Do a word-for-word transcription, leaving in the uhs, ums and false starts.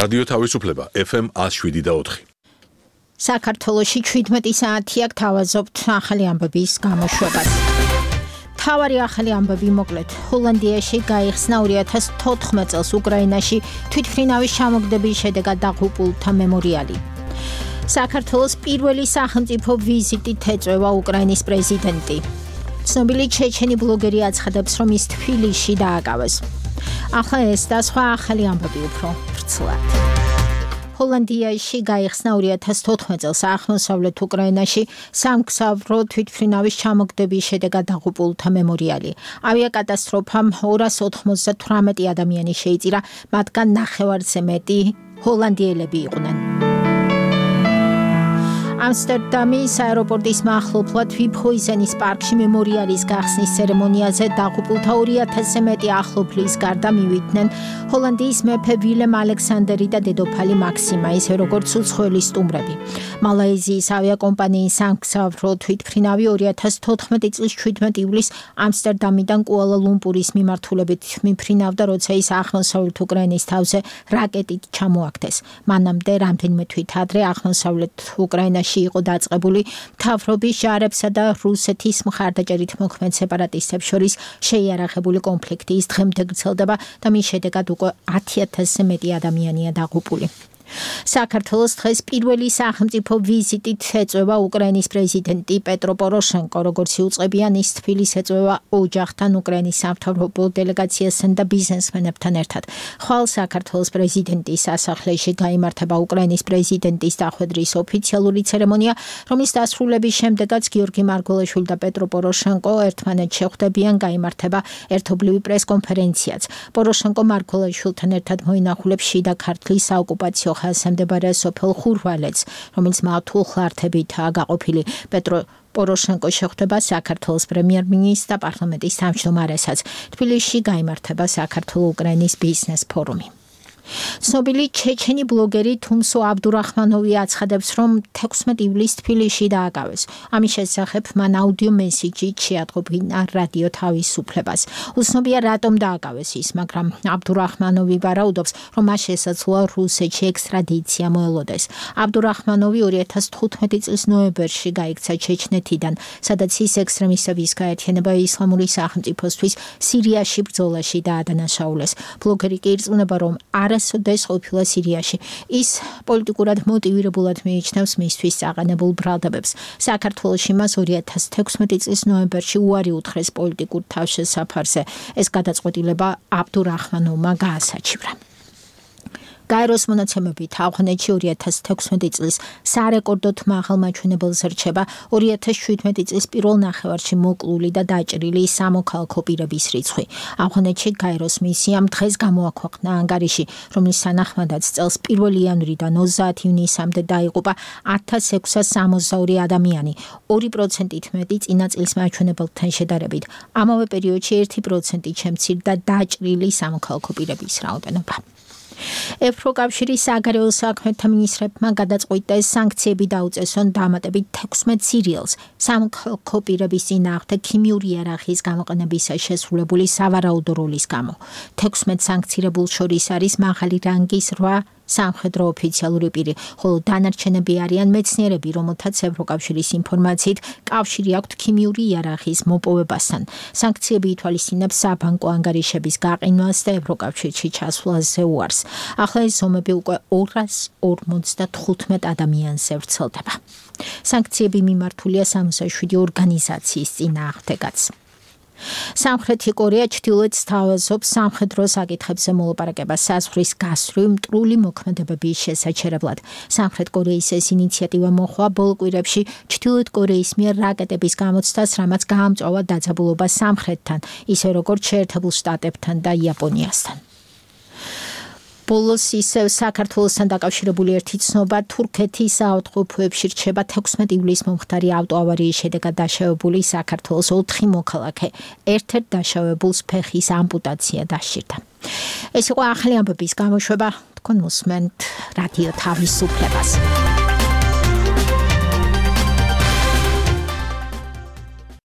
რადიო თავისუფლება ეფ ემ one oh seven და four. საქართველოში seventeen საათი აქ თავაზობთ ახალი ამბების გამოშვებას. თავარი ახალი ამბები მოკლედ. ჰოლანდიაში გაიხსნა two thousand fourteen წელს უკრაინაში თვითმფრინავის ჩამოგდების შედეგად დაღუპულთა მემორიალი. საქართველოს პირველი სახელმწიფო ვიზიტით ეწევა უკრაინის პრეზიდენტი. ცნობილი ჩეჩენი ბლოგერი აცხადებს, რომ ის თბილისში დააკავეს. ახლა ეს და სხვა ახალი ამბები უფრო ვრცლად. ჰოლანდიაში გაიხსნა two thousand fourteen წელს აღმოსავლეთ უკრაინაში სამგზავრო თვითმფრინავის ჩამოგდების შედეგად დაღუპულთა მემორიალი. ავიაკატასტროფამ two hundred ninety-eight ადამიანი შეიწირა, მათგან ნახევარზე მეტი ჰოლანდიელები იყვნენ. ამსტერდამის აეროპორტის მახლობლად ვიფჰოიზენის პარკში მემორიალის გახსნის ცერემონიაზე დაღუპულთა two thousand-ზე მეტი ახლობლის გარდა მივიდნენ ჰოლანდიის მეფე ვილემ ალექსანდერი და დედოფალი მაქსიმა, ისე როგორც უცხოელი სტუმრები. მალაიზიის ავიაკომპანიის სამგზავრო თვითმფრინავი two thousand fourteen წლის seventeen ივლისს ამსტერდამიდან კუალა-ლუმპურის მიმართულებით მიფრინავდა, როცა ის აღმოსავლეთ უკრაინის თავზე რაკეტით ჩამოაგდეს. მანამდე რამდენიმე თვით ადრე აღმოსავლეთ უკრაინაში იყო დაწყებული მთავრობის ჯარებსა და რუსეთის მხარდაჭერით მოქმედ სეპარატისტებს შორის შეიარაღებული კონფლიქტი. ის დღემდე გრძელდება და მის შედეგად უკვე one thousand-ზე მეტი ადამიანია დაღუპული. საქართველოს დღეს პირველი სახელმწიფო ვიზიტით ეწევა უკრაინის პრეზიდენტი პეტრო პოროშენკო, როგორც იუწყებიან, ის თბილისს ეწევა ოჯახთან, უკრაინის სამთავრობო დელეგაციასთან და ბიზნესმენებთან ერთად. ხვალ საქართველოს პრეზიდენტის სასახლეში გაიმართება უკრაინის პრეზიდენტის დახვედრის ოფიციალური ცერემონია, რომლის დასრულების შემდეგაც გიორგი მარგველაშვილი და პეტრო პოროშენკო ერთმანეთს შეხვდებიან, გაიმართება ერთობლივი პრესკონფერენციაც. პოროშენკო მარგველაშვილთან ერთად მოინახულებს შიდა ქართლის საოკუპაციო ხაზზე მდებარე სოფელ ხურვალეთს, რომელიც მართულ-ხლართებითაა გაყოფილი. პეტრო პოროშენკო შეხვდება საქართველოს პრემიერ-მინისტრს და პარლამენტის თავმჯდომარესაც. თბილისში გაიმართება საქართველო-უკრაინის ბიზნეს ფორუმი. ცნობილი ჩეჩენი ბლოგერი თუმსო აბდურახმანოვი აცხადებს, რომ sixteen ივლისს თბილისში დააკავეს. ამის შესახებ მან აუდიო მესიჯით შეატყობინა რადიო თავისუფლებას. უცნობია რატომ დააკავეს ის, მაგრამ აბდურახმანოვი ვარაუდობს, რომ მას შესაძლოა რუსეთში ექსტრადიცია მოელოდეს. აბდურახმანოვი two thousand fifteen წლის ნოემბერში გაიქცა ჩეჩნეთიდან, სადაც ის ექსტრემისტების გაერთიანება ისლამური სახელმწიფოსთვის სირიაში ბრძოლაში დაადანაშაულეს. ბლოგერი კი ირწმუნება, რომ არასოდეს ყოფილა სირიაში. ის პოლიტიკურად მოტივირებულად მიიჩნევს მისთვის წაყენებულ ბრალდებებს. საქართველოში მას two thousand sixteen წლის ნოემბერში უარი უთხრეს პოლიტიკურ თავშესაფარზე. ეს გადაწყვეტილება აბდურახმანოვმა გაასაჩივრა. გაეროს მონაცემებით ავღანეთში two thousand sixteen წლის სარეკორდოდ მაღალ მაჩვენებელს რჩება two thousand seventeen წლის პირველ ნახევარში მოკლული და დაჭრილი სამოქალაქო პირების რიცხვი. ავღანეთში გაეროს მისიამ დღეს გამოაქვეყნა ანგარიში, რომლის თანახმადაც წელს პირველი იანვრიდან twenty ივნისამდე დაიღუპა one thousand six hundred sixty-two ადამიანი, two პროცენტით მეტი წინა წლის მაჩვენებელთან შედარებით. ამავე პერიოდში one პროცენტით შემცირდა დაჭრილი სამოქალაქო პირების რაოდენობა. ევროკავშირის საგარეო საქმეთა მინისტრებმა გადაწყვიტეს სანქციები დაუწესონ დამატებით sixteen სირიელს სამოქალაქო პირების წინააღმდეგ ქიმიური იარაღის გამოყენებისა შესრულებული სავარაუდო როლის გამო. sixteen სანქცირებულ შორის არის მაღალი რანგის eight სამხედრო ოფიციალური პირი, ხოლო დანარჩენები არიან მეცნიერები, რომელთაც ევროკავშირის ინფორმაციით კავშირი აქვთ ქიმიური იარაღის მოპოვებასთან. სანქციები ითვალისწინებს საბანკო ანგარიშების გაყინვას და ევროკავშირში ჩასვლაზე უარს. ახლა ეს ზომები უკვე two hundred fifty-five ადამიანზე ვრცელდება. სანქციები მიმართულია sixty-seven ორგანიზაციის წინააღმდეგაც. სამხრეთი კორეა ჩრდილოეთს თავაზობს სამხედრო საკითხებზე მოლაპარაკებას საზღვრის გასწვრივ მტრული მოქმედებების შესაჩერებლად. სამხრეთ კორეის ეს ინიციატივა მოხდა ბოლო კვირებში ჩრდილოეთ კორეის მიერ რაკეტების გამოცდას, რამაც გაამწვავა დაძაბულობა სამხრეთთან, ისე როგორც შეერთებულ შტატებთან და იაპონიასთან. ბოლოს ისევ საქართველოსთან დაკავშირებული ერთი ცნობა, თურქეთის საავადმყოფოებში რჩება sixteen ივლისს მომხდარი ავტოავარიის შედეგად დაშავებული საქართველოს four მოქალაქე. ერთ-ერთ დაშავებულს ფეხის ამპუტაცია დასჭირდა. ეს იყო ახალი ამბების გამოშვება. თქვენ მოსმენთ რადიო თავისუფლებას.